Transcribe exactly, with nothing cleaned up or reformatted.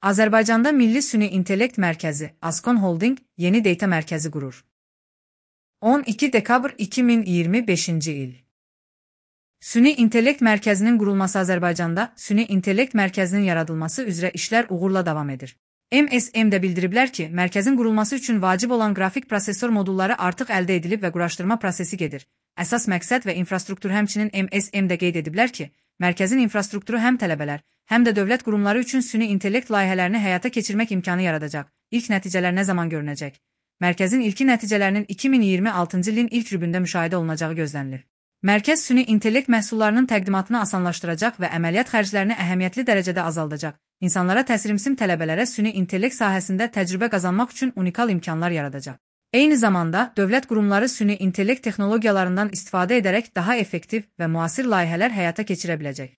Azərbaycanda Milli Süni İntellekt Mərkəzi, Ascon Holding, yeni data mərkəzi qurur. on iki dekabr iki min iyirmi beşinci il. Süni İntellekt Mərkəzinin qurulması Azərbaycanda Süni İntellekt Mərkəzinin yaradılması üzrə işlər uğurla davam edir. M S M də bildiriblər ki, mərkəzin qurulması üçün vacib olan qrafik prosesor modulları artıq əldə edilib və quraşdırma prosesi gedir. Əsas məqsəd və infrastruktur həmçinin M S M də qeyd ediblər ki, mərkəzin infrastrukturu həm tələbələr, həm də dövlət qurumları üçün süni intellekt layihələrini həyata keçirmək imkanı yaradacaq. İlk nəticələr nə zaman görünəcək? Mərkəzin ilki nəticələrinin iki min iyirmi altıncı ilin ilk rübündə müşahidə olunacağı gözlənilir. Mərkəz süni intellekt məhsullarının təqdimatını asanlaşdıracaq və əməliyyat xərclərini əhəmiyyətli dərəcədə azaldacaq. İnsanlara təsirimsim tələbələrə süni intellekt sahəsində təcrübə qazanmaq üçün unikal imkanlar yaradacaq. Eyni zamanda, dövlət qurumları süni intellekt texnologiyalarından istifadə edərək daha effektiv və müasir layihələr həyata keçirə biləcək.